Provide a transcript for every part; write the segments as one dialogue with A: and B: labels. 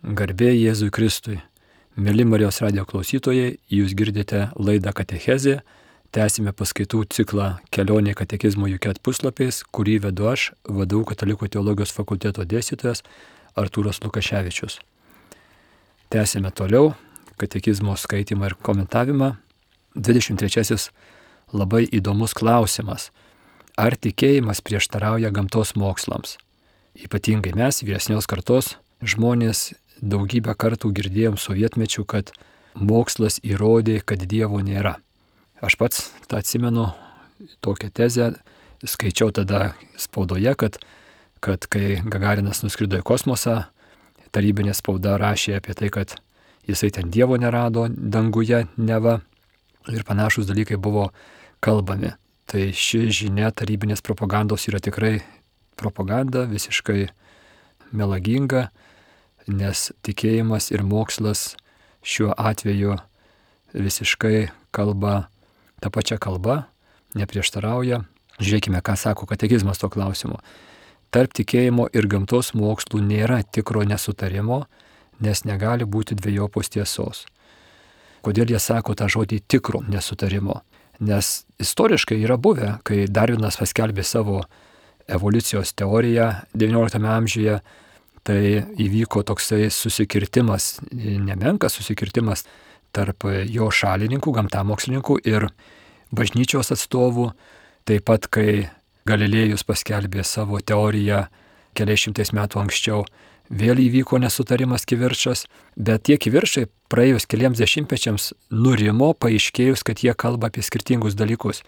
A: Garbė Jėzui Kristui. Mėly Marijos radijo klausytojai, jūs girdite laidą Katechezė. Tęsime paskaitų ciklą Kelionė katekizmo UK puslapiais, kurį vedu aš, VDU Katalikų teologijos fakulteto dėstytojas Artūras Lukaševičius. Tęsime toliau katekizmo skaitimą ir komentavimą. 23. Labai įdomus klausimas. Ar tikėjimas prieštarauja gamtos mokslams? Ypatingai mes, vyresnios kartos žmonės, daugybę kartų girdėjom sovietmečių, kad mokslas įrodė, kad Dievo nėra. Aš pats tą atsimenu, tokią tezę, skaičiau tada spaudoje, kad kai Gagarinas nuskrido į kosmosą, tarybinė spauda rašė apie tai, kad jisai ten Dievo nerado danguje neva ir panašus dalykai buvo kalbami. Tai ši žinia tarybinės propagandos yra tikrai propaganda, visiškai melaginga, nes tikėjimas ir mokslas šiuo atveju visiškai kalba tą pačią kalbą, neprieštarauja. Žiūrėkime, ką sako katekizmas to klausimu. Tarp tikėjimo ir gamtos mokslų nėra tikro nesutarimo, nes negali būti dvejopos tiesos. Kodėl jie sako tą žodį tikro nesutarimo? Nes istoriškai yra buvę, kai Darvinas paskelbė savo evoliucijos teoriją XIX amžiuje, tai įvyko toksai susikirtimas, nemenkas susikirtimas tarp jo šalininkų, gamtamokslininkų ir bažnyčios atstovų. Taip pat, kai Galilėjus paskelbė savo teoriją keliais šimtais metų anksčiau, vėl įvyko nesutarimas, kivirčas, bet tie kivirčai praėjus keliems dešimtmečiams nurimo, paaiškėjus, kad jie kalba apie skirtingus dalykus.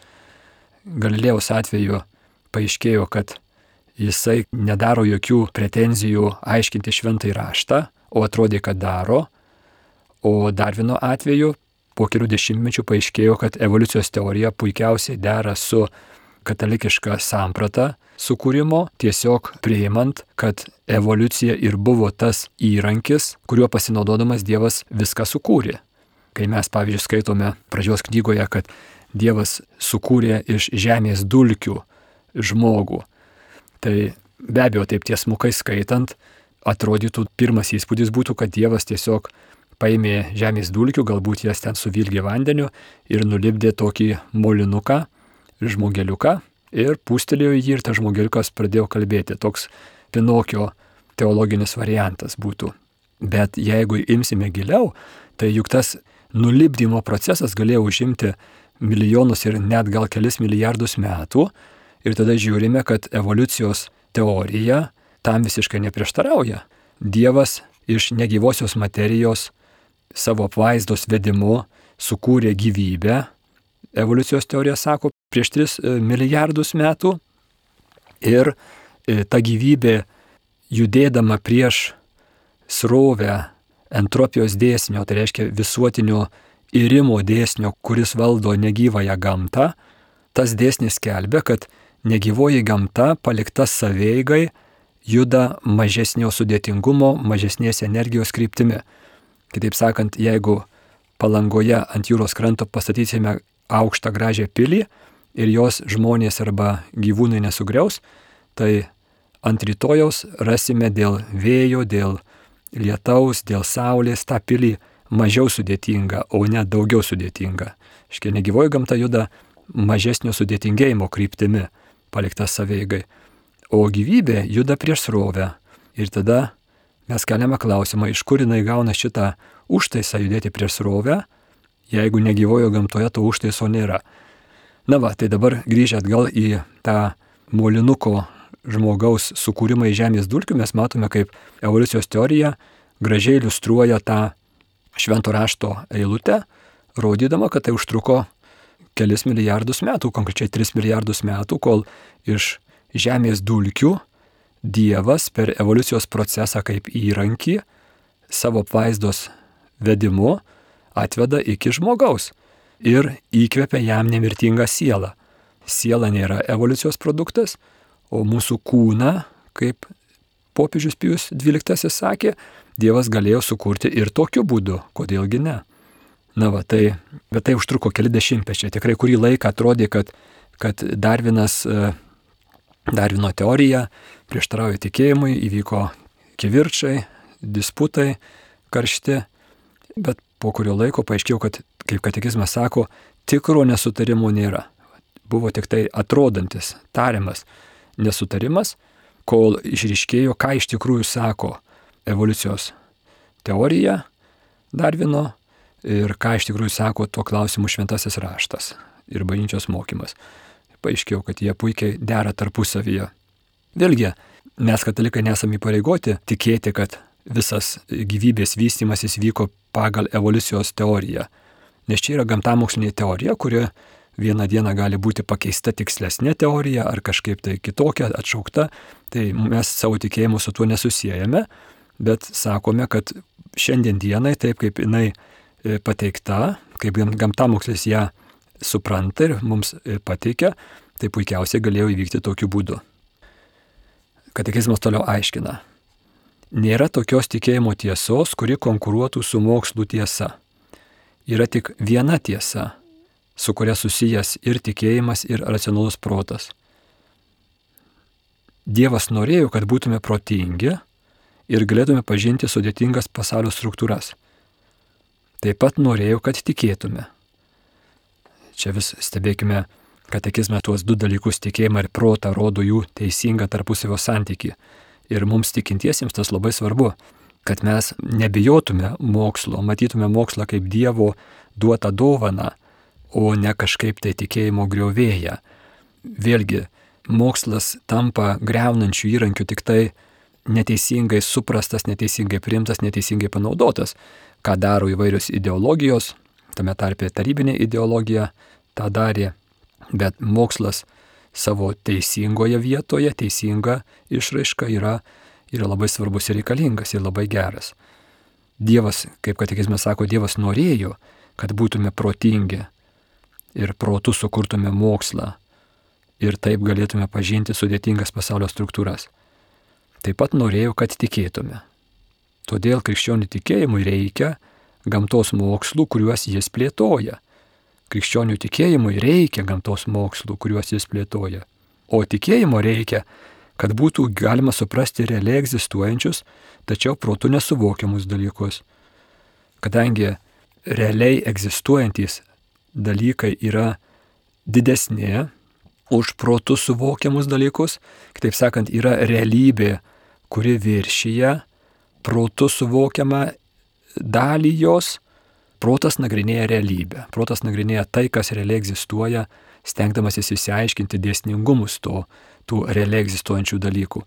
A: Galilėjaus atveju paaiškėjo, kad jisai nedaro jokių pretenzijų aiškinti šventąjį raštą, o atrodė, kad daro. O Darvino atveju po kelių dešimtmečių paaiškėjo, kad evoliucijos teorija puikiausiai dera su katalikiška samprata sukūrimo, tiesiog priimant, kad evoliucija ir buvo tas įrankis, kuriuo pasinaudodamas Dievas viską sukūrė. Kai mes, pavyzdžiui, skaitome pradžios knygoje, kad Dievas sukūrė iš žemės dulkių žmogų, tai be abejo, taip tiesmukai skaitant, atrodytų pirmas įspūdis būtų, kad Dievas tiesiog paėmė žemės dulkių, galbūt jas ten suvilgė vandeniu ir nulipdė tokį molinuką, žmogeliuką ir pūstelėjo jį ir tas žmogeliukas pradėjo kalbėti. Toks Pinokio teologinis variantas būtų. Bet jeigu imsime giliau, tai juk tas nulipdymo procesas galėjo užimti milijonus ir net gal kelis milijardus metų. Ir tada žiūrime, kad evoliucijos teorija tam visiškai neprieštarauja. Dievas iš negyvosios materijos savo apvaizdos vedimu sukūrė gyvybę. Evoliucijos teorija sako prieš 3 milijardus metų. Ir ta gyvybė judėdama prieš srovę entropijos dėsnio, tai reiškia visuotinio irimo dėsnio, kuris valdo negyvąją gamtą, tas dėsnis skelbia, kad negyvoji gamta palikta savieigai juda mažesnio sudėtingumo, mažesnės energijos kryptimi. Kitaip sakant, jeigu Palangoje ant jūros kranto pastatysime aukštą gražią pilį ir jos žmonės arba gyvūnai nesugriaus, tai ant rytojaus rasime dėl vėjo, dėl lietaus, dėl saulės tą pilį mažiau sudėtinga, o ne daugiau sudėtinga. Škia negyvoji gamta juda mažesnio sudėtingėjimo kryptimi, paliktas savieigai. O gyvybė juda prieš srovę. Ir tada mes keliame klausimą, iš kur jinai gauna šitą užtaisą judėti prieš srovę, jeigu negyvojo gamtoje to užtaiso nėra. Na va, tai dabar grįžę atgal į tą molinuko žmogaus sukūrimą į žemės dulkių, mes matome, kaip evoliucijos teorija gražiai iliustruoja tą švento rašto eilutę, rodydama, kad tai užtruko kelis milijardus metų, konkrečiai 3 milijardus metų, kol iš žemės dulkių Dievas per evoliucijos procesą kaip įrankį savo apvaizdos vedimu atveda iki žmogaus ir įkvepia jam nemirtingą sielą. Siela nėra evoliucijos produktas, o mūsų kūną, kaip popiežius Pijus XII sakė, Dievas galėjo sukurti ir tokiu būdu, kodėlgi ne. Na va, bet tai užtruko keli dešimtmečiai. Tikrai kurį laiką atrodė, kad Darvino teorija prieštarauja tikėjimui, įvyko kivirčai, disputai karšti, bet po kurio laiko paaiškėjo, kad, kaip katekizmas sako, tikro nesutarimo nėra. Buvo tik tai atrodantis, tariamas nesutarimas, kol išryškėjo, ką iš tikrųjų sako evoliucijos teorija Darvino ir ką iš tikrųjų sako tuo klausimu šventasis raštas ir bažnyčios mokymas. Paaiškėjo, kad jie puikiai dera tarpusavyje. Vėlgi, mes katalikai nesame įpareigoti tikėti, kad visas gyvybės vystymasis vyko pagal evoliucijos teoriją. Nes čia yra gamtamokslinė teorija, kuri vieną dieną gali būti pakeista tikslesnė teorija ar kažkaip tai kitokia, atšaukta. Tai mes savo tikėjimu su tuo nesusijęjame, bet sakome, kad šiandien dienai, taip kaip jinai pateikta, kaip gamtamokslis ją supranta ir mums pateikia, tai puikiausiai galėjo įvykti tokiu būdu. Katekizmas toliau aiškina. Nėra tokios tikėjimo tiesos, kuri konkuruotų su mokslų tiesa. Yra tik viena tiesa, su kuria susijęs ir tikėjimas, ir racionalus protas. Dievas norėjo, kad būtume protingi ir galėtume pažinti sudėtingas pasaulio struktūras. Taip pat norėjo, kad tikėtume. Čia vis stebėkime katekizme tuos du dalykus, tikėjimą ir protą, rodo jų teisingą tarpusavio santykį. Ir mums tikintiesiems tas labai svarbu, kad mes nebijotume mokslo, matytume mokslą kaip Dievo duotą dovaną, o ne kažkaip tai tikėjimo griovėją. Vėlgi, mokslas tampa greunančių įrankių tik tai neteisingai suprastas, neteisingai priimtas, neteisingai panaudotas, ką daro įvairios ideologijos, tame tarpe tarybinė ideologija tą darė, bet mokslas savo teisingoje vietoje, teisinga išraiška yra labai svarbus ir reikalingas ir labai geras. Dievas, kaip katekizmas sako, Dievas norėjo, kad būtume protingi ir protu sukurtume mokslą ir taip galėtume pažinti sudėtingas pasaulio struktūras. Taip pat norėjo, kad tikėtume. Todėl krikščionių tikėjimui reikia gamtos mokslų, kuriuos jis plėtoja. Krikščionių tikėjimui reikia gamtos mokslų, kuriuos jis plėtoja. O tikėjimo reikia, kad būtų galima suprasti realiai egzistuojančius, tačiau protu nesuvokiamus dalykus. Kadangi realiai egzistuojantys dalykai yra didesnė už protu suvokiamus dalykus, kitaip sakant, yra realybė, kuri viršyje protu suvokiamą dalį jos. Protas nagrinėja realybę. Protas nagrinėja tai, kas realiai egzistuoja, stengdamasis išsiaiškinti dėsningumus tų realiai egzistuojančių dalykų.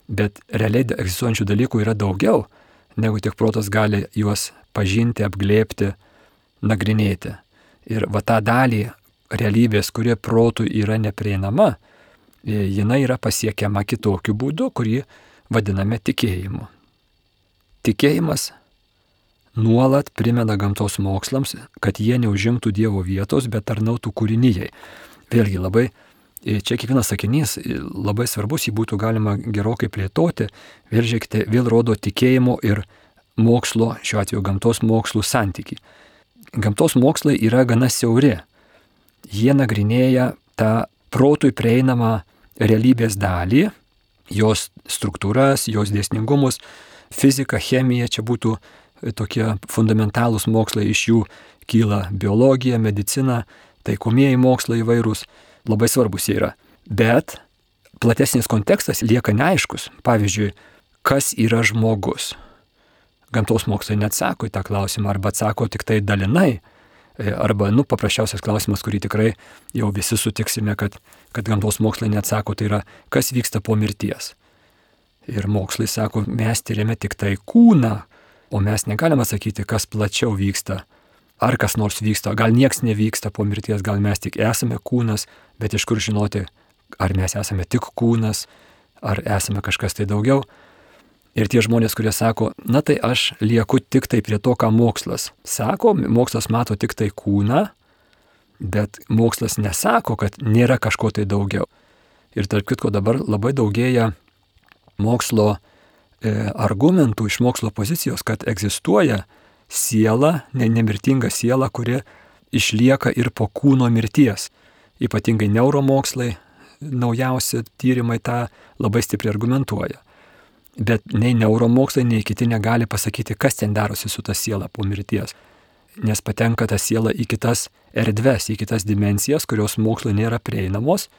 A: Bet realiai egzistuojančių dalykų yra daugiau, negu tik protas gali juos pažinti, apglėbti, nagrinėti. Ir va tą dalį realybės, kuri protų yra neprieinama, jinai yra pasiekiama kitokiu būdu, kurį vadiname tikėjimu. Tikėjimas nuolat primena gamtos mokslams, kad jie neužimtų Dievo vietos, bet tarnautų kūrinijai. Vėlgi labai, čia kiekvienas sakinys labai svarbus, jį būtų galima gerokai plėtoti. Vėl žiūrėkite, vėl rodo tikėjimo ir mokslo, šiuo atveju gamtos mokslų santykį. Gamtos mokslai yra gana siauri. Jie nagrinėja tą protui prieinamą realybės dalį, jos struktūras, jos dėsningumus, fizika, chemija, čia būtų tokie fundamentalūs mokslai, iš jų kyla biologija, medicina, taikomieji mokslai įvairūs, labai svarbus jie yra. Bet platesnis kontekstas lieka neaiškus. Pavyzdžiui, kas yra žmogus? Gamtos mokslai neatsako į tą klausimą, arba atsako tik tai dalinai, arba, paprasčiausias klausimas, kurį tikrai jau visi sutiksime, kad gamtos mokslai neatsako, tai yra, kas vyksta po mirties. Ir mokslai sako, mes tyrėme tik tai kūną, o mes negalime sakyti, kas plačiau vyksta, ar kas nors vyksta, gal nieks nevyksta po mirties, gal mes tik esame kūnas, bet iš kur žinoti, ar mes esame tik kūnas, ar esame kažkas tai daugiau. Ir tie žmonės, kurie sako, na tai aš lieku tik tai prie to, ką mokslas sako, mokslas mato tik tai kūną, bet mokslas nesako, kad nėra kažko tai daugiau. Ir tarp kitko dabar labai daugėja mokslo argumentų iš mokslo pozicijos, kad egzistuoja siela, nemirtinga siela, kuri išlieka ir po kūno mirties. Ypatingai neuromokslai, naujausi tyrimai tą labai stipriai argumentuoja. Bet nei neuromokslai, nei kiti negali pasakyti, kas ten darosi su ta siela po mirties. Nes patenka ta siela į kitas erdves, į kitas dimensijas, kurios mokslui nėra prieinamos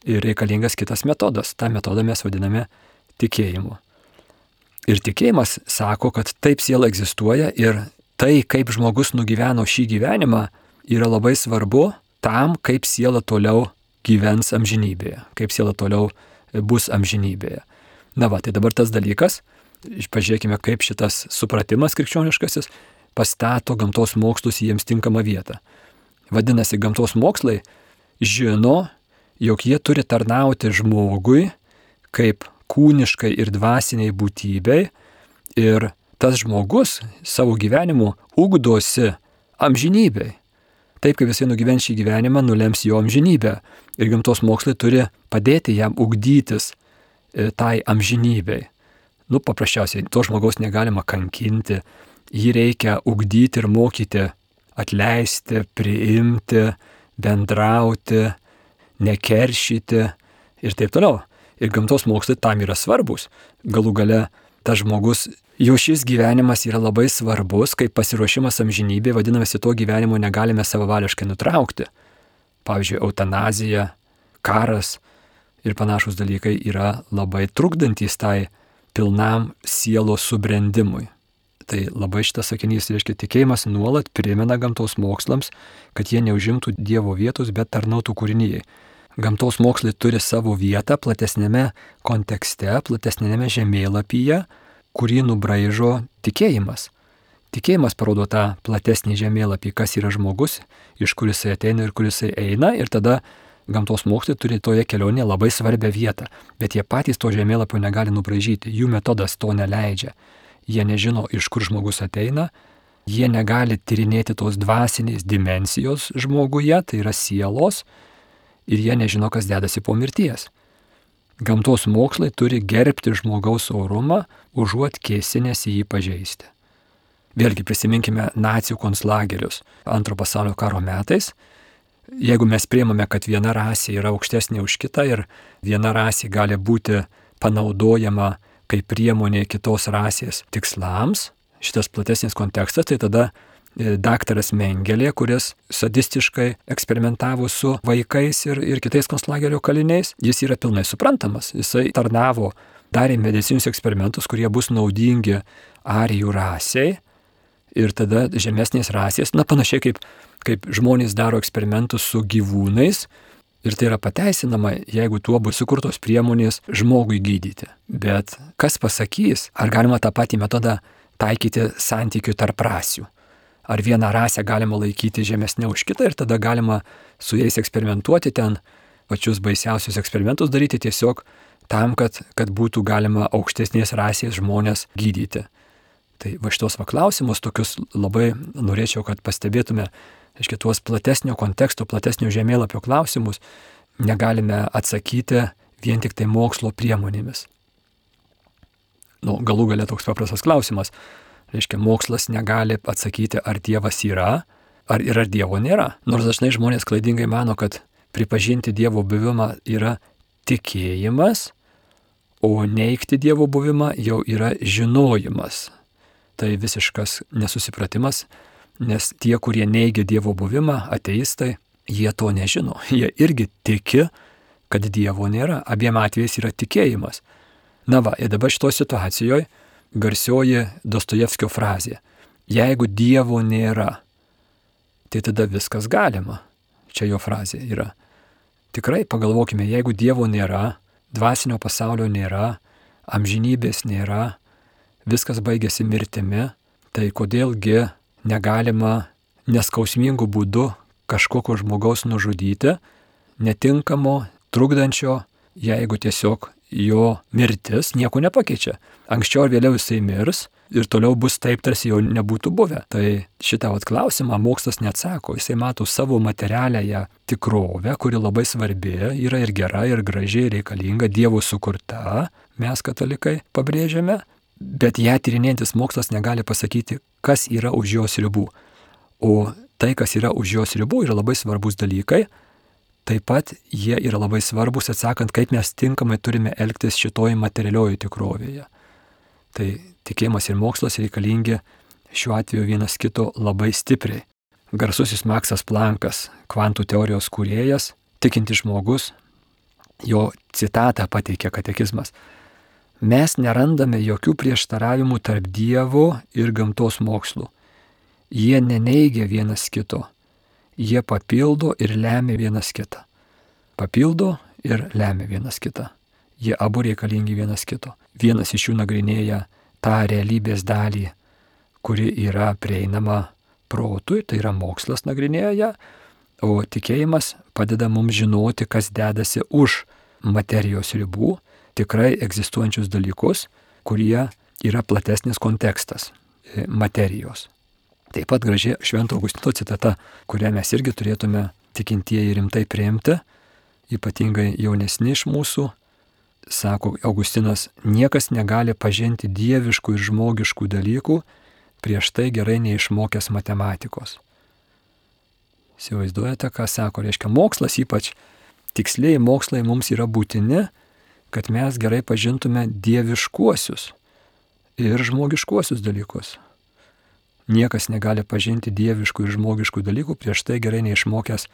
A: ir reikalingas kitas metodas. Ta metodą mes vadiname tikėjimu. Ir tikėjimas sako, kad taip siela egzistuoja ir tai, kaip žmogus nugyveno šį gyvenimą, yra labai svarbu tam, kaip siela toliau gyvens amžinybėje, kaip siela toliau bus amžinybėje. Na va, tai dabar tas dalykas, pažiūrėkime, kaip šitas supratimas krikščioniškasis pastato gamtos mokslus į jiems tinkamą vietą. Vadinasi, gamtos mokslai žino, jog jie turi tarnauti žmogui kaip kūniškai ir dvasiniai būtybei ir tas žmogus savo gyvenimu ugdosi amžinybei. Taip kaip jisai nugyvens šį gyvenimą, nulems jo amžinybę. Ir gamtos mokslai turi padėti jam ugdytis tai amžinybei. Paprasčiausiai, to žmogaus negalima kankinti, jį reikia ugdyti ir mokyti, atleisti, priimti, bendrauti, nekeršyti ir taip toliau. Ir gamtos mokslai tam yra svarbus. Galų gale tas žmogus, jo šis gyvenimas yra labai svarbus, kaip pasiruošimas amžinybė, vadinamasi, to gyvenimo negalime savavališkai nutraukti. Pavyzdžiui, eutanazija, karas ir panašus dalykai yra labai trukdantys tai pilnam sielos subrendimui. Tai labai šitas sakinys reiškia, tikėjimas nuolat primena gamtos mokslams, kad jie neužimtų Dievo vietos, bet tarnautų kūrinijai. Gamtos mokslai turi savo vietą platesnėme kontekste, platesnėme žemėlapyje, kurį nubraižo tikėjimas. Tikėjimas parodo tą platesnį žemėlapį, kas yra žmogus, iš kur jisai ateina ir kur jisai eina, ir tada gamtos mokslai turi toje kelionėje labai svarbią vietą, bet jie patys to žemėlapio negali nubraižyti, jų metodas to neleidžia. Jie nežino, iš kur žmogus ateina, jie negali tyrinėti tos dvasinės dimensijos žmoguje, tai yra sielos, ir jie nežino, kas dedasi po mirties. Gamtos mokslai turi gerbti žmogaus orumą, užuot kėsinęsi jį pažeisti. Vėlgi prisiminkime nacių konclagerius Antro pasaulinio karo metais. Jeigu mes priimame, kad viena rasė yra aukštesnė už kitą ir viena rasė gali būti panaudojama kaip priemonė kitos rasės tikslams, šitas platesnis kontekstas, tai tada daktaras Mengelė, kuris sadistiškai eksperimentavo su vaikais ir kitais konclagerio kaliniais, jis yra pilnai suprantamas. Jisai tarnavo, darė medicinius eksperimentus, kurie bus naudingi arijų rasiai ir tada žemesnės rasės, panašiai kaip žmonės daro eksperimentus su gyvūnais ir tai yra pateisinama, jeigu tuo bus sukurtos priemonės žmogui gydyti. Bet kas pasakys, ar galima tą patį metodą taikyti santykių tarp rasių? Ar vieną rasę galima laikyti žemesnė už kitą ir tada galima su jais eksperimentuoti, ten pačius baisiausius eksperimentus daryti tiesiog tam, kad būtų galima aukštesnės rasės žmonės gydyti. Tai va šitos klausimus tokius labai norėčiau, kad pastebėtume, reiškia, tuos platesnio konteksto, platesnio žemėlapio klausimus negalime atsakyti vien tik tai mokslo priemonėmis. Galų gale toks paprastas klausimas. Reiškia, mokslas negali atsakyti, ar Dievas yra, ar Dievo nėra. Nors dažnai žmonės klaidingai mano, kad pripažinti Dievo buvimą yra tikėjimas, o neigti Dievo buvimą jau yra žinojimas. Tai visiškas nesusipratimas, nes tie, kurie neigia Dievo buvimą, ateistai, jie to nežino. Jie irgi tiki, kad Dievo nėra. Abiem atvejais yra tikėjimas. Ir dabar šitoje situacijoje garsioji Dostojevskio frazė. Jeigu Dievo nėra, tai tada viskas galima. Čia jo frazė yra. Tikrai pagalvokime, jeigu Dievo nėra, dvasinio pasaulio nėra, amžinybės nėra, viskas baigėsi mirtimi, tai kodėlgi negalima neskausmingų būdų kažkokio žmogaus nužudyti, netinkamo, trukdančio, jeigu tiesiog jo mirtis nieko nepakeičia. Anksčiau ar vėliau jisai mirs ir toliau bus taip, tarsi jau nebūtų buvę. Tai šitą klausimą mokslas neatsako. Jisai mato savo materialiąją tikrovę, kuri labai svarbi, yra ir gera, ir graži, ir reikalinga, Dievo sukurta, mes katalikai pabrėžiame, bet ją tyrinėjantis mokslas negali pasakyti, kas yra už jos ribų. O tai, kas yra už jos ribų, yra labai svarbus dalykai. Taip pat jie yra labai svarbus atsakant, kaip mes tinkamai turime elgtis šitoj materialioje tikrovėje. Tai tikėjimas ir mokslas reikalingi šiuo atveju vienas kito labai stipriai. Garsusis Maksas Plankas, kvantų teorijos kūrėjas, tikintis žmogus, jo citatą pateikia katekizmas. Mes nerandame jokių prieštaravimų tarp Dievo ir gamtos mokslų. Jie neneigia vienas kito. Jie papildo ir lemia vienas kitą. Papildo ir lemia vienas kitą. Jie abu reikalingi vienas kito. Vienas iš jų nagrinėja tą realybės dalį, kuri yra prieinama protui, tai yra mokslas nagrinėja ją, o tikėjimas padeda mums žinoti, kas dedasi už materijos ribų, tikrai egzistuojančius dalykus, kurie yra platesnis kontekstas materijos. Taip pat graži Švento Augustino citata, kurią mes irgi turėtume tikintieji rimtai priimti, ypatingai jaunesni iš mūsų. Sako Augustinas, niekas negali pažinti dieviškų ir žmogiškų dalykų, prieš tai gerai neišmokęs matematikos. Įsivaizduojate, ką sako? Reiškia, mokslas, ypač tikslieji mokslai mums yra būtini, kad mes gerai pažintume dieviškuosius ir žmogiškuosius dalykus. Niekas negali pažinti dieviškų ir žmogiškų dalykų, prieš tai gerai neišmokęs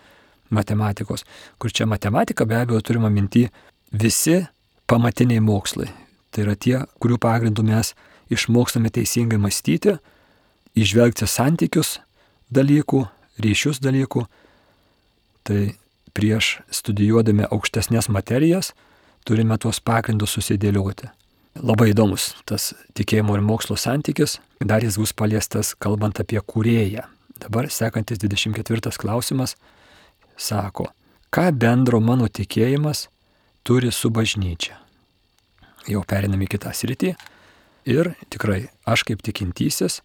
A: matematikos. Kur čia matematika, be abejo, turime minty visi pamatiniai mokslai. Tai yra tie, kurių pagrindų mes išmokstame teisingai mąstyti, įžvelgti santykius dalykų, ryšius dalykų. Tai prieš studijuodami aukštesnės materijas turime tuos pagrindus susidėlioti. Labai įdomus tas tikėjimo ir mokslo santykis, dar jis bus paliestas kalbant apie kūrėją. Dabar sekantis 24 klausimas sako, ką bendro mano tikėjimas turi su bažnyčia. Jau periname į kitą sritį ir tikrai aš kaip tikintysis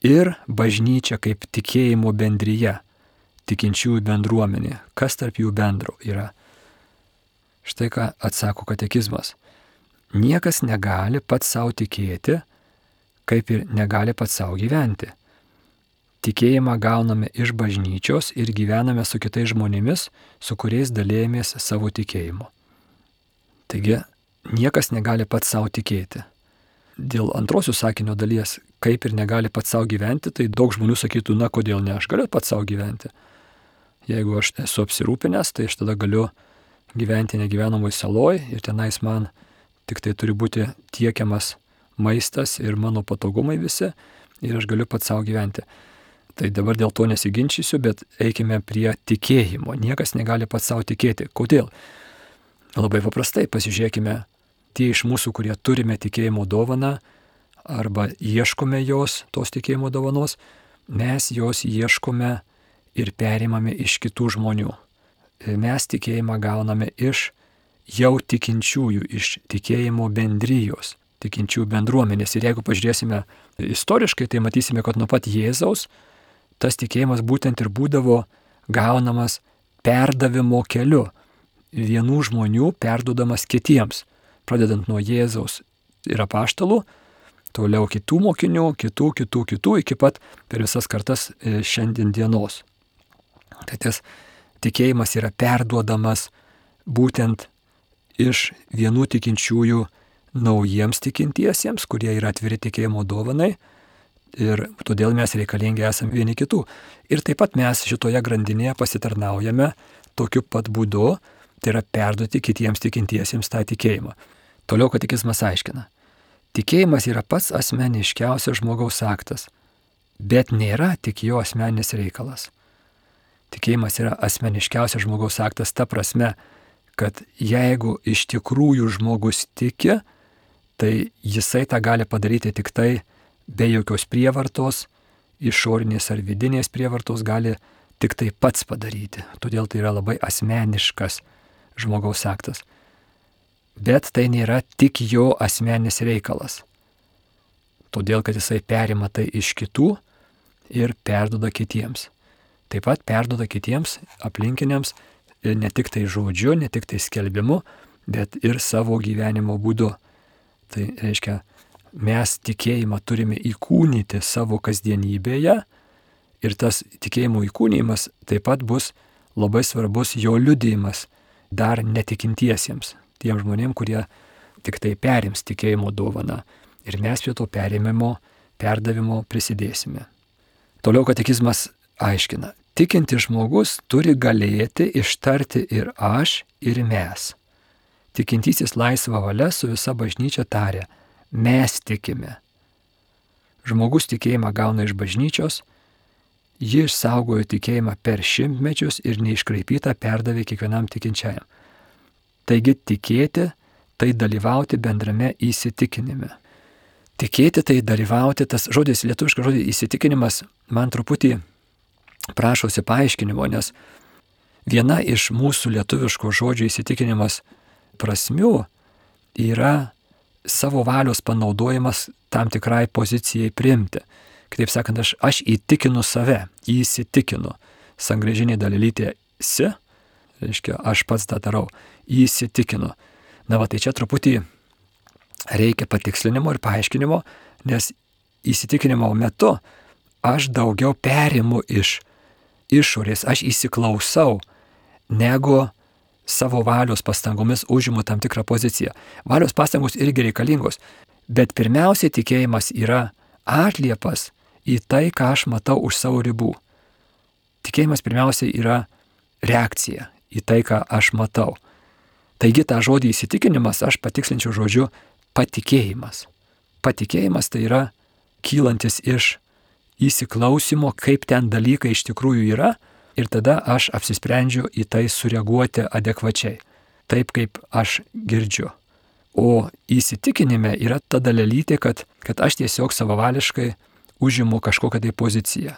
A: ir bažnyčia kaip tikėjimo bendryje, tikinčiųjų bendruomenė, kas tarp jų bendro yra. Štai ką atsako katekizmas. Niekas negali pats savo tikėti, kaip ir negali pats savo gyventi. Tikėjimą gauname iš bažnyčios ir gyvename su kitais žmonėmis, su kuriais dalėjomės savo tikėjimu. Taigi, niekas negali pats savo tikėti. Dėl antrosios sakinio dalies, kaip ir negali pats savo gyventi, tai daug žmonių sakytų, na kodėl ne, aš galiu pats savo gyventi. Jeigu aš esu apsirūpinęs, tai aš tada galiu gyventi negyvenamoj saloj ir tenais man tik tai turi būti tiekiamas maistas ir mano patogumai visi ir aš galiu pats savo gyventi. Tai dabar dėl to nesiginčysiu, bet eikime prie tikėjimo. Niekas negali pats savo tikėti. Kodėl? Labai paprastai pasižiūrėkime, tie iš mūsų, kurie turime tikėjimo dovaną arba ieškome jos, tos tikėjimo dovanos, mes jos ieškome ir perimame iš kitų žmonių. Mes tikėjimą gauname iš jau tikinčiųjų, iš tikėjimo bendrijos, tikinčių bendruomenės. Ir jeigu pažiūrėsime istoriškai, tai matysime, kad nuo pat Jėzaus tas tikėjimas būtent ir būdavo gaunamas perdavimo keliu. Vienų žmonių perduodamas kitiems, pradedant nuo Jėzaus ir apaštalų, toliau kitų mokinių, kitų, iki pat per visas kartas šiandien dienos. Tai tas tikėjimas yra perduodamas būtent iš vienų tikinčiųjų naujiems tikintiesiems, kurie yra atviri tikėjimo dovanai ir todėl mes reikalingi esame vieni kitų. Ir taip pat mes šitoje grandinėje pasitarnaujame tokiu pat būdu, tai yra perduoti kitiems tikintiesiems tą tikėjimą. Toliau katekizmas aiškina. Tikėjimas yra pats asmeniškiausias žmogaus aktas, bet nėra tik jo asmeninis reikalas. Tikėjimas yra asmeniškiausias žmogaus aktas ta prasme, kad jeigu iš tikrųjų žmogus tiki, tai jisai tą gali padaryti tik tai be jokios prievartos, išorinės ar vidinės prievartos gali tik tai pats padaryti. Todėl tai yra labai asmeniškas žmogaus aktas. Bet tai nėra tik jo asmeninis reikalas. Todėl, kad jisai perima tai iš kitų ir perduoda kitiems. Taip pat perduoda kitiems aplinkiniams ne tik tai žodžiu, ne tik tai skelbimu, bet ir savo gyvenimo būdu. Tai reiškia, mes tikėjimą turime įkūnyti savo kasdienybėje ir tas tikėjimo įkūnijimas taip pat bus labai svarbus jo liudijimas dar netikintiesiems, tiem žmonėm, kurie tik tai perims tikėjimo dovaną ir mes prie to perdavimo prisidėsime. Toliau katekizmas aiškina, tikintis žmogus turi galėti ištarti ir aš, ir mes. Tikintysis laisva valia su visa bažnyčia taria, mes tikime. Žmogus tikėjimą gauna iš bažnyčios, ji išsaugojo tikėjimą per šimtmečius ir neiškraipytą perdavė kiekvienam tikinčiajam. Taigi tikėti tai dalyvauti bendrame įsitikinime. Tikėti tai dalyvauti, tas žodis, lietuviškas žodis įsitikinimas, man truputį prašosi paaiškinimo, nes viena iš mūsų lietuviško žodžio įsitikinimas prasmių yra savo valios panaudojimas tam tikrai pozicijai priimti. Kitaip sakant, aš įtikinu save, įsitikinu. Sangrėžinė dalelytė si, reiškia, aš pats tą darau, įsitikinu. Na va, tai čia truputį reikia patikslinimo ir paaiškinimo, nes įsitikinimo metu aš daugiau perimu iš išorės, aš įsiklausau, negu savo valios pastangomis užimu tam tikrą poziciją. Valios pastangos irgi reikalingos, bet pirmiausiai tikėjimas yra atliepas į tai, ką aš matau už savo ribų. Tikėjimas pirmiausiai yra reakcija į tai, ką aš matau. Taigi tą žodį įsitikinimas aš patikslinčiau žodžiu patikėjimas. Patikėjimas tai yra kylantis iš įsiklausimo, kaip ten dalykai iš tikrųjų yra, ir tada aš apsisprendžiu į tai sureaguoti adekvačiai, taip kaip aš girdžiu. O įsitikinime yra ta dalelytė, kad aš tiesiog savavališkai užimu kažkokią tai poziciją,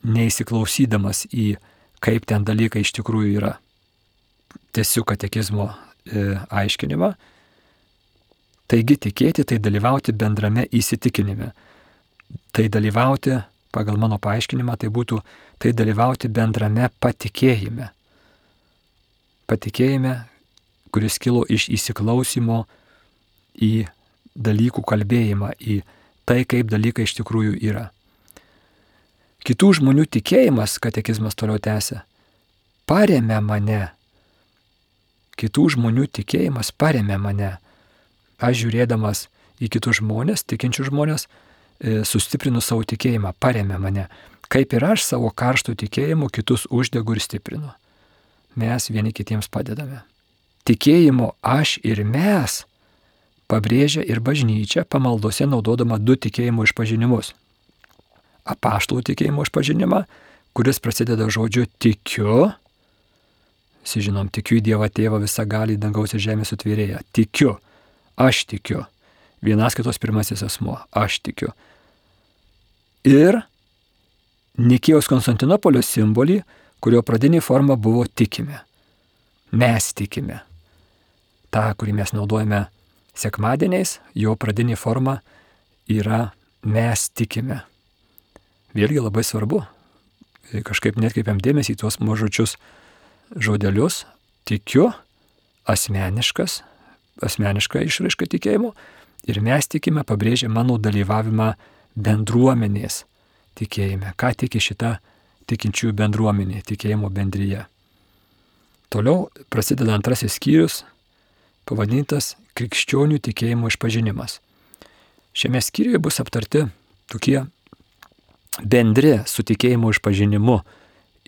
A: neįsiklausydamas į kaip ten dalykai iš tikrųjų yra. Tęsiu katekizmo aiškinimą. Taigi tikėti tai dalyvauti bendrame įsitikinime. Tai dalyvauti, pagal mano paaiškinimą, tai būtų tai dalyvauti bendrame patikėjime. Patikėjime, kuris kilo iš įsiklausimo į dalykų kalbėjimą, į tai, kaip dalykai iš tikrųjų yra. Kitų žmonių tikėjimas, katekizmas toliau tęsia, paremia mane. Kitų žmonių tikėjimas paremia mane. Aš žiūrėdamas į kitus žmonės, tikinčius žmonės, sustiprinu savo tikėjimą, paremia mane. Kaip ir aš savo karštų tikėjimu kitus uždegu ir stiprinu. Mes vieni kitiems padedame. Tikėjimo aš ir mes pabrėžia ir bažnyčia pamaldose naudodama du tikėjimo išpažinimus. Apaštalų tikėjimo išpažinimą, kuris prasideda žodžiu tikiu. Žinom, tikiu į Dievą Tėvą visagalį dangaus ir žemės sutvėrėją. Tikiu. Aš tikiu. Vienas kitos pirmasis asmuo. Aš tikiu. Ir Nikėjos Konstantinopolio simbolį, kurio pradinė forma buvo tikime. Mes tikime. Ta, kurį mes naudojame sekmadieniais, jo pradinė forma yra mes tikime. Vėlgi labai svarbu. Kažkaip netkreipiam dėmesį į tuos mažučius žodelius. Tikiu, asmeniška išraiška tikėjimo. Ir mes tikime pabrėžia mano dalyvavimą bendruomenės tikėjime. Ką tiki šita tikinčiųjų bendruomenė, tikėjimo bendryje. Toliau prasideda antrasis skyrius, pavadintas krikščionių tikėjimo išpažinimas. Šiame skyriuje bus aptarti tokie bendri su tikėjimo išpažinimu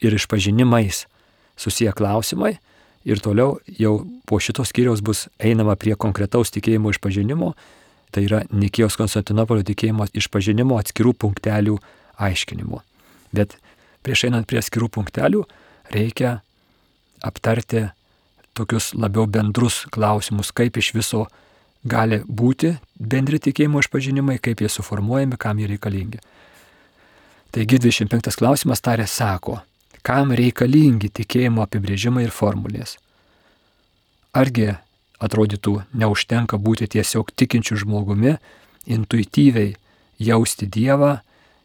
A: ir išpažinimais susiję klausimai. Ir toliau jau po šitos skyriaus bus einama prie konkretaus tikėjimo išpažinimo, tai yra Nikėjos Konstantinopolio tikėjimo išpažinimo atskirų punktelių aiškinimu. Bet prieš einant prie atskirų punktelių reikia aptarti tokius labiau bendrus klausimus, kaip iš viso gali būti bendri tikėjimo išpažinimai, kaip jie suformuojami, kam jie reikalingi. Taigi 25 klausimas sako, kam reikalingi tikėjimo apibrėžimai ir formulės. Argi atrodytų neužtenka būti tiesiog tikinčiu žmogumi, intuityviai jausti Dievą,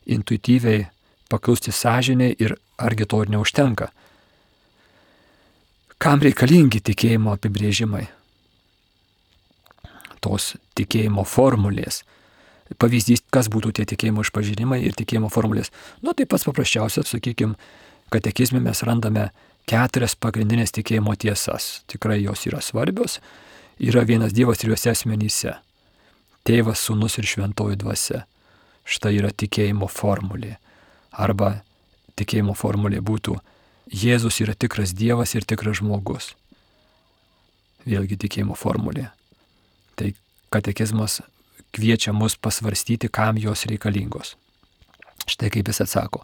A: intuityviai paklusti sąžinei ir argi to ir neužtenka? Kam reikalingi tikėjimo apibrėžimai? Tos tikėjimo formulės. Pavyzdys, kas būtų tie tikėjimo išpažinimai ir tikėjimo formulės. Tai pats paprasčiausias, sakykime, katekizme mes randame 4 pagrindinės tikėjimo tiesas. Tikrai jos yra svarbios. Yra vienas Dievas 3 asmenyse. Tėvas, Sūnus ir Šventoji Dvasia. Štai yra tikėjimo formulė. Arba tikėjimo formulė būtų Jėzus yra tikras Dievas ir tikras žmogus. Vėlgi tikėjimo formulė. Tai katekizmas kviečia mus pasvarstyti, kam jos reikalingos. Štai kaip jis atsako.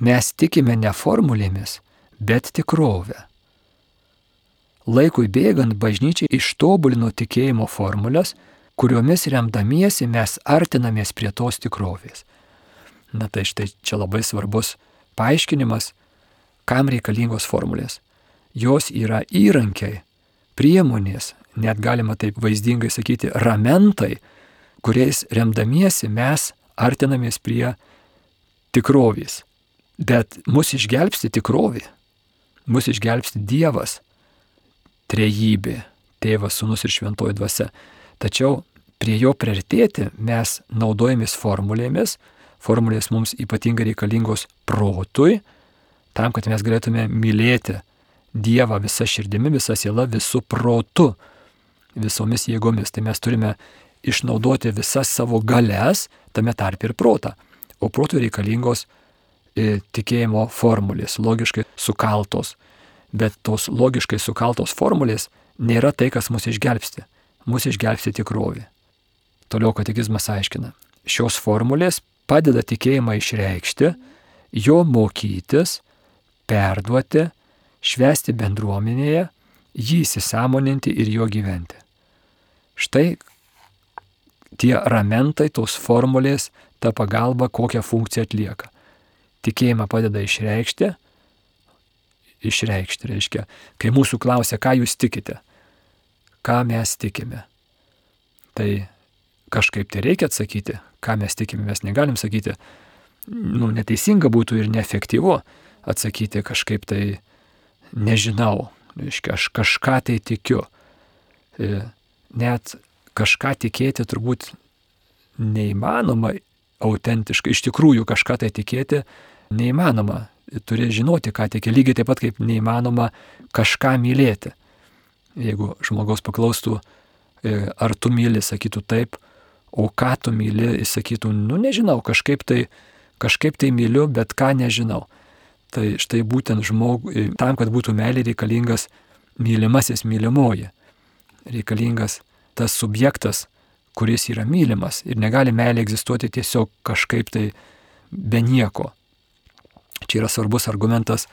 A: Mes tikime ne formulėmis, bet tikrovę. Laikui bėgant bažnyčia ištobulino tikėjimo formulės, kuriomis remdamiesi mes artinamės prie tos tikrovės. Na tai štai čia labai svarbus paaiškinimas, kam reikalingos formulės. Jos yra įrankiai, priemonės, net galima taip vaizdingai sakyti, ramentai, kuriais remdamiesi mes artinamės prie tikrovės. Bet mus išgelbsti tikrovė, mus išgelbsti Dievas, trejybė, Tėvas, Sūnus ir Šventoji Dvasia. Tačiau prie jo priartėti mes naudojamės formulėmis. Formulės mums ypatingai reikalingos protui, tam, kad mes galėtume mylėti Dievą visą širdimi, visą sielą, visų protu, visomis jėgomis. Tai mes turime išnaudoti visas savo galias, tame tarpe ir protą. O protui reikalingos tikėjimo formulės, logiškai sukaltos. Bet tos logiškai sukaltos formulės nėra tai, kas mus išgelbsti. Mus išgelbsti tikrovė. Toliau katekizmas aiškina. Šios formulės padeda tikėjimą išreikšti, jo mokytis, perduoti, švęsti bendruomenėje, jį įsisąmoninti ir jo gyventi. Štai tie ramentai, tos formulės, ta pagalba, kokią funkciją atlieka. Tikėjimą padeda išreikšti reiškia, kai mūsų klausia, ką jūs tikite, ką mes tikime. Tai kažkaip tai reikia atsakyti, ką mes tikime, mes negalim sakyti, neteisinga būtų ir neefektyvu atsakyti kažkaip tai nežinau, reiškia, aš kažką tai tikiu. Net kažką tikėti turbūt neįmanoma autentiškai, iš tikrųjų kažką tai tikėti neįmanoma. Turi žinoti, ką tiki, lygiai taip pat kaip neįmanoma kažką mylėti. Jeigu žmogaus paklaustų, ar tu myli, sakytų taip, o ką tu myli, jis sakytų, nežinau, kažkaip tai myliu, bet ką nežinau. Tai štai būtent tam, kad būtų meilė, reikalingas mylimasis, mylimoji. Reikalingas tas subjektas, kuris yra mylimas. Ir negali meilė egzistuoti tiesiog kažkaip tai be nieko. Čia yra svarbus argumentas,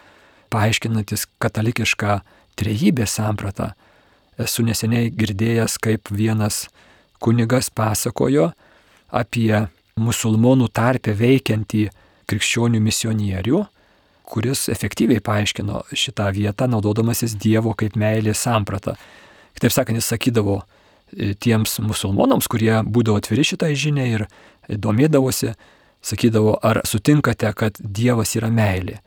A: paaiškinantis katalikišką trejybės sampratą. Esu neseniai girdėjęs, kaip vienas kunigas pasakojo apie musulmonų tarpe veikiantį krikščionių misionierių, kuris efektyviai paaiškino šitą vietą, naudodamasis Dievo kaip meilės sampratą. Kitaip sakant, jis sakydavo tiems musulmonams, kurie būdavo atviri šitai žiniai ir domėdavosi, sakydavo, ar sutinkate, kad Dievas yra meilė.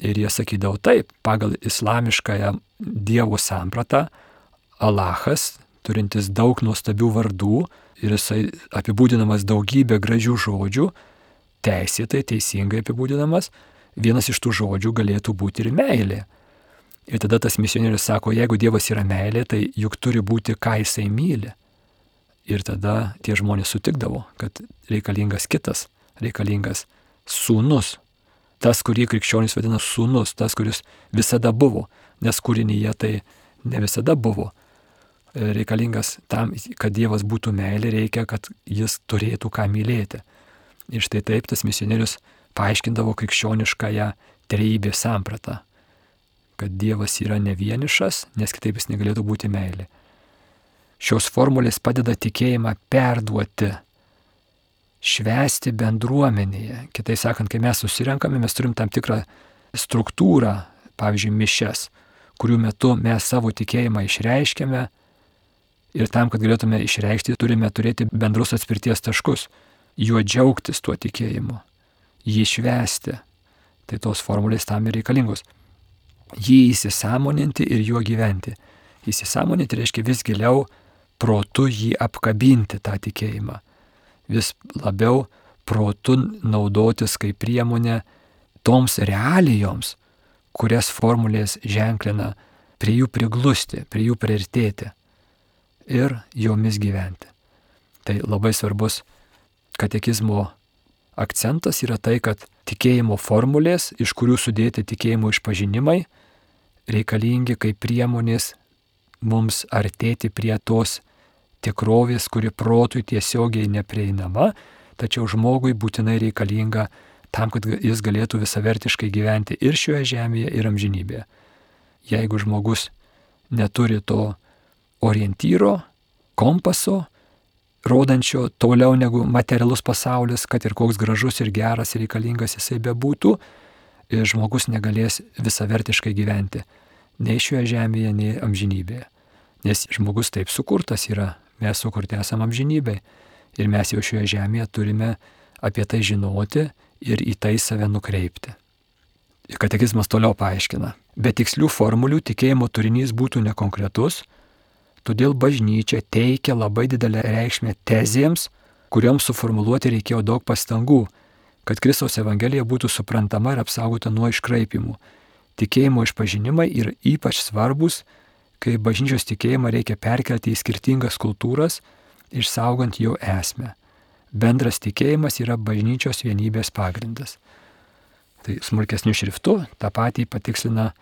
A: Ir jie sakydavo taip, pagal islamiškąją Dievo sampratą, Alachas, turintis daug nuostabių vardų ir jisai apibūdinamas daugybę gražių žodžių, teisėtai, teisingai apibūdinamas, vienas iš tų žodžių galėtų būti ir meilė. Ir tada tas misionierius sako, jeigu Dievas yra meilė, tai juk turi būti, ką jisai myli. Ir tada tie žmonės sutikdavo, kad reikalingas kitas, reikalingas sūnus. Tas, kurį krikščionys vadina sūnus, tas, kuris visada buvo, nes kūrinyje tai ne visada buvo. Reikalingas tam, kad Dievas būtų meilė, reikia, kad jis turėtų ką mylėti. Ir štai taip tas misionierius paaiškindavo krikščioniškąją trejybės sampratą, kad Dievas yra ne vienišas, nes kitaip jis negalėtų būti meilė. Šios formulės padeda tikėjimą perduoti, švęsti bendruomenėje. Kitai sakant, kai mes susirenkame, mes turim tam tikrą struktūrą, pavyzdžiui, mišias, kurių metu mes savo tikėjimą išreiškiame ir tam, kad galėtume išreikšti, turime turėti bendrus atspirties taškus, juo džiaugtis tuo tikėjimu, jį švęsti. Tai tos formulės tam ir reikalingos. Jį įsisąmoninti ir juo gyventi. Įsisąmoninti reiškia vis giliau protu jį apkabinti tą tikėjimą. Vis labiau protu naudotis kaip priemonė toms realijoms, kurias formulės ženklina, prie jų priglusti, prie jų priartėti ir jomis gyventi. Tai labai svarbus katekizmo akcentas yra tai, kad tikėjimo formulės, iš kurių sudėti tikėjimo išpažinimai, reikalingi kaip priemonės mums artėti prie tos tikrovės, kuri protui tiesiogiai neprieinama, tačiau žmogui būtinai reikalinga tam, kad jis galėtų visavertiškai gyventi ir šioje žemėje, ir amžinybėje. Jeigu žmogus neturi to orientyro, kompaso, rodančio toliau negu materialus pasaulis, kad ir koks gražus ir geras ir reikalingas jisai bebūtų, žmogus negalės visavertiškai gyventi nei šioje žemėje, nei amžinybėje. Nes žmogus taip sukurtas yra, mes sukurti esame amžinybėje ir mes jau šioje žemėje turime apie tai žinoti ir į tai save nukreipti. Katekizmas toliau paaiškina. Be tikslių formulių tikėjimo turinys būtų nekonkretus, todėl bažnyčia teikia labai didelę reikšmę tezėms, kurioms suformuluoti reikėjo daug pastangų, kad Kristaus Evangelija būtų suprantama ir apsaugota nuo iškraipimų. Tikėjimo išpažinimai yra ypač svarbus, kai bažnyčios tikėjimą reikia perkelti į skirtingas kultūras, išsaugant jo esmę. Bendras tikėjimas yra bažnyčios vienybės pagrindas. Tai smulkesniu šriftu tą patį patikslina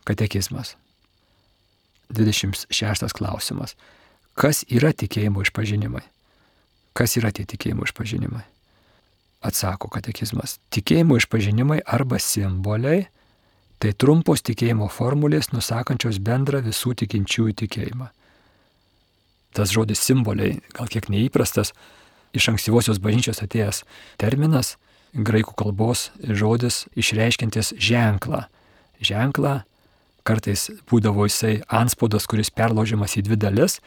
A: katekizmas. 26 klausimas. Kas yra tikėjimo išpažinimai? Kas yra tie tikėjimo išpažinimai? Atsako katekizmas. Tikėjimo išpažinimai arba simboliai tai trumpos tikėjimo formulės nusakančios bendrą visų tikinčiųjų tikėjimą. Tas žodis simboliai gal kiek neįprastas, iš ankstyvosios bažnyčios atėjęs terminas, graikų kalbos žodis išreiškiantis ženklą. Ženklą kartais būdavo jisai antspaudas, kuris perlaužiamas į dvi dalis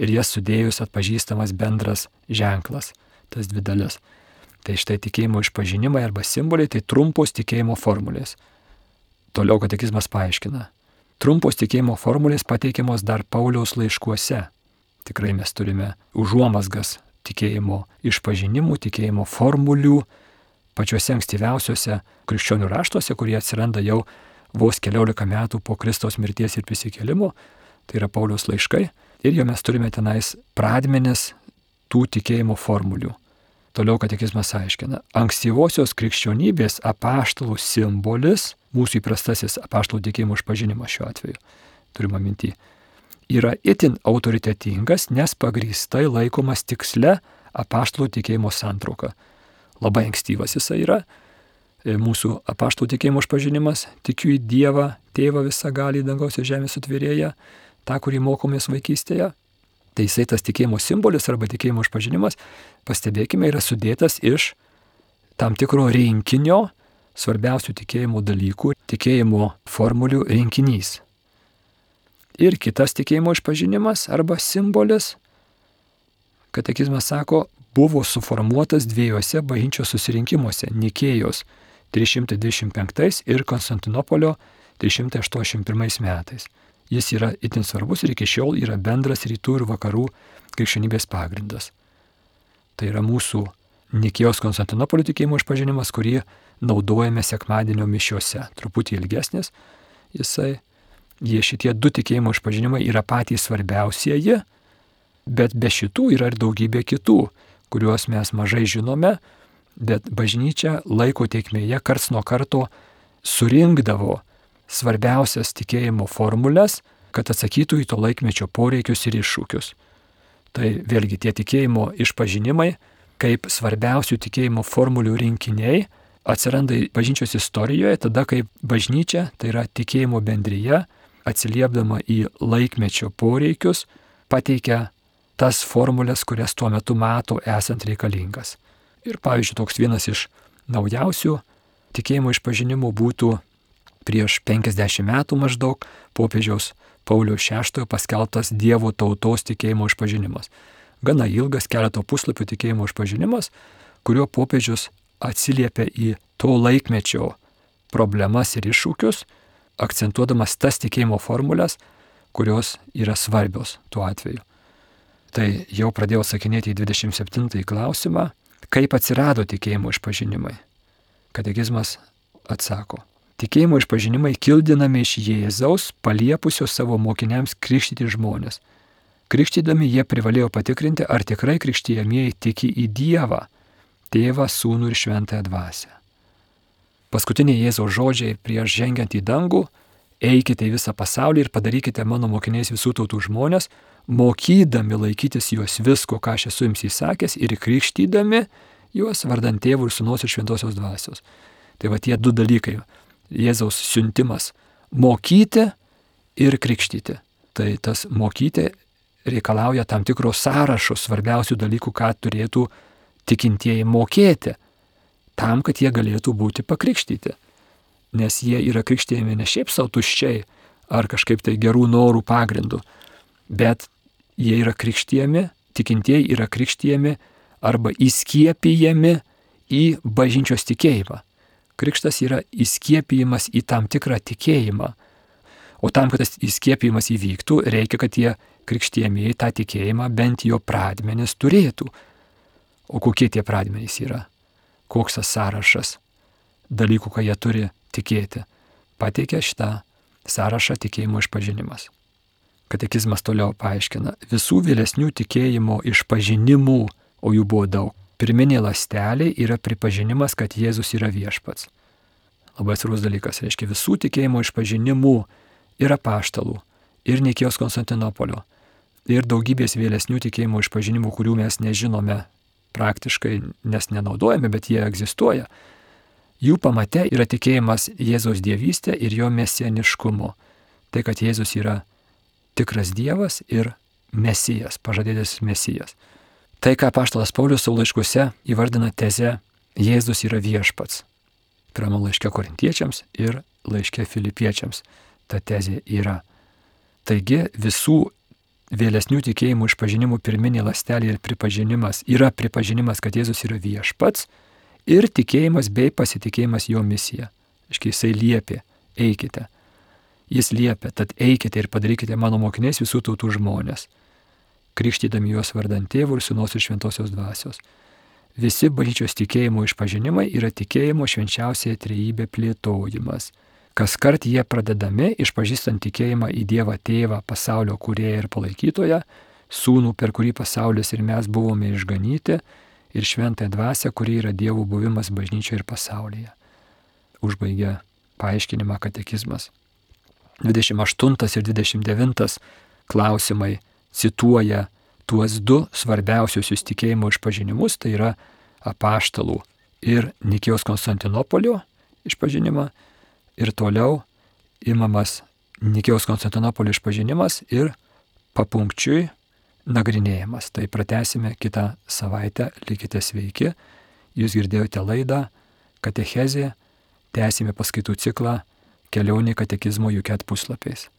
A: ir jas sudėjus atpažįstamas bendras ženklas, tas dvi dalis. Tai štai tikėjimo išpažinimai arba simboliai tai trumpos tikėjimo formulės. Toliau katekizmas paaiškina. Trumpos tikėjimo formulės pateikiamos dar Pauliaus laiškuose. Tikrai mes turime užuomazgas tikėjimo išpažinimų, tikėjimo formulių pačiuose ankstyviausiuose krikščionių raštuose, kurie atsiranda jau vos 14 metų po Kristaus mirties ir prisikėlimo, tai yra Pauliaus laiškai, ir jo mes turime tenais pradmenis tų tikėjimo formulių. Toliau katekizmas aiškina, ankstyvosios krikščionybės apaštalų simbolis, mūsų įprastasis apaštalų tikėjimo išpažinimas šiuo atveju, turime minty, yra itin autoritetingas, nes pagrįstai laikomas tiksle apaštalų tikėjimo santrauka. Labai ankstyvas jisai yra. Mūsų apaštalų tikėjimo išpažinimas, tikiu į Dievą, Tėvą visagalį dangaus ir žemės sutvėrėją, tą, kurį mokomės vaikystėje. Tai jisai tas tikėjimo simbolis arba tikėjimo išpažinimas, pastebėkime, yra sudėtas iš tam tikro rinkinio svarbiausių tikėjimo dalykų, tikėjimo formulių rinkinys. Ir kitas tikėjimo išpažinimas arba simbolis, katekizmas sako, buvo suformuotas dviejose bažnyčios susirinkimuose – Nikėjos 325 ir Konstantinopolio 381 metais. Jis yra itin svarbus ir iki šiol yra bendras rytų ir vakarų krikščionybės pagrindas. Tai yra mūsų Nikėjos Konstantinopolio tikėjimo išpažinimas, kurį naudojame sekmadienio mišiose. Truputį ilgesnis jisai. Šitie du tikėjimo išpažinimai yra patys svarbiausieji, bet be šitų yra ir daugybė kitų, kuriuos mes mažai žinome, bet bažnyčia laiko tėkmėje karts nuo karto surinkdavo svarbiausias tikėjimo formulės, kad atsakytų į to laikmečio poreikius ir iššūkius. Tai vėlgi tie tikėjimo išpažinimai, kaip svarbiausių tikėjimo formulių rinkiniai, atsiranda bažnyčios istorijoje tada, kai bažnyčia, tai yra tikėjimo bendrija, atsiliepdama į laikmečio poreikius, pateikia tas formulės, kurias tuo metu mato esant reikalingas. Ir pavyzdžiui, toks vienas iš naujausių tikėjimo išpažinimų būtų prieš 50 metų maždaug popiežiaus Pauliaus VI paskelbtas Dievo tautos tikėjimo išpažinimas. Gana ilgas keleto puslapių tikėjimo išpažinimas, kuriuo popiežius atsiliepia į to laikmečio problemas ir iššūkius, akcentuodamas tas tikėjimo formulės, kurios yra svarbios tuo atveju. Tai jau pradėjau sakinėti į 27 klausimą, kaip atsirado tikėjimo išpažinimai. Katekizmas atsako. Tikėjimo išpažinimai kildinami iš Jėzaus, paliepusio savo mokiniams krikštyti žmonės. Krikštydami jie privalėjo patikrinti, ar tikrai krikštyjamieji tiki į Dievą, Tėvą, Sūnų ir Šventąją Dvasią. Paskutiniai Jėzaus žodžiai prieš žengiant į dangų: eikite į visą pasaulį ir padarykite mano mokiniais visų tautų žmonės, mokydami laikytis juos visko, ką aš esu jums įsakęs, ir krikštydami juos vardant Tėvo ir Sūnaus ir Šventosios Dvasios. Tai va tie du dalykai. Jėzaus siuntimas mokyti ir krikštyti. Tai tas mokyti reikalauja tam tikro sąrašo svarbiausių dalykų, ką turėtų tikintieji mokėti, tam, kad jie galėtų būti pakrikštyti. Nes jie yra krikštėjami ne šiaip savo tuščiai ar kažkaip tai gerų norų pagrindų, bet jie yra krikštėjami, tikintieji yra krikštėjami arba įskiepijami į bažnyčios tikėjimą. Krikštas yra įskiepijimas į tam tikrą tikėjimą. O tam, kad tas įskiepijimas įvyktų, reikia, kad tie krikštėjamieji tą tikėjimą bent jo pradmenis turėtų. O kokie tie pradmenys yra? Koks tas sąrašas dalykų, ką jie turi tikėti? Pateikia šitą sąrašą tikėjimo išpažinimas. Katekizmas toliau paaiškina: visų vėlesnių tikėjimo išpažinimų, o jų buvo daug, pirminė ląstelė yra pripažinimas, kad Jėzus yra viešpats. Labai svarbus dalykas, reiškia visų tikėjimo išpažinimų ir apaštalų, ir Nikėjos Konstantinopolio, ir daugybės vėlesnių tikėjimo išpažinimų, kurių mes nežinome praktiškai, nes nenaudojame, bet jie egzistuoja. Jų pamate yra tikėjimas Jėzaus dievystė ir jo mesianiškumu. Tai, kad Jėzus yra tikras Dievas ir Mesijas, pažadėtas Mesijas. Tai, ką apaštalas Paulius savo laiškuose įvardina teze Jėzus yra viešpats. Pirmame laiške Korintiečiams ir laiške Filipiečiams ta tezė yra. Taigi visų vėlesnių tikėjimų išpažinimų pirminė ląstelė ir pripažinimas yra pripažinimas, kad Jėzus yra viešpats, ir tikėjimas bei pasitikėjimas jo misija. Iškai jisai liepė: eikite. Jis liepė: tad eikite ir padarykite mano mokiniais visų tautų žmonės, krikštydami juos vardant Tėvo ir Sūnaus ir Šventosios Dvasios. Visi bažnyčios tikėjimo išpažinimai yra tikėjimo švenčiausiąją trejybę plėtojimas. Kaskart jie pradedami išpažįstant tikėjimą į Dievą Tėvą, pasaulio kūrėją ir palaikytoją, Sūnų, per kurį pasaulis ir mes buvome išganyti, ir Šventąją Dvasią, kuri yra Dievo buvimas bažnyčioje ir pasaulyje. Užbaigia paaiškinimą katekizmas. 28 ir 29 klausimai cituoja tuos du svarbiausius tikėjimo išpažinimus, tai yra apaštalų ir Nikėjos Konstantinopolio išpažinimą, ir toliau imamas Nikėjos Konstantinopolio išpažinimas ir papunkčiui nagrinėjimas. Tai pratęsime kitą savaitę. Likite sveiki. Jūs girdėjote laidą Katechezė. Tęsime paskaitų ciklą Kelionė katekizmo UCAT puslapiais.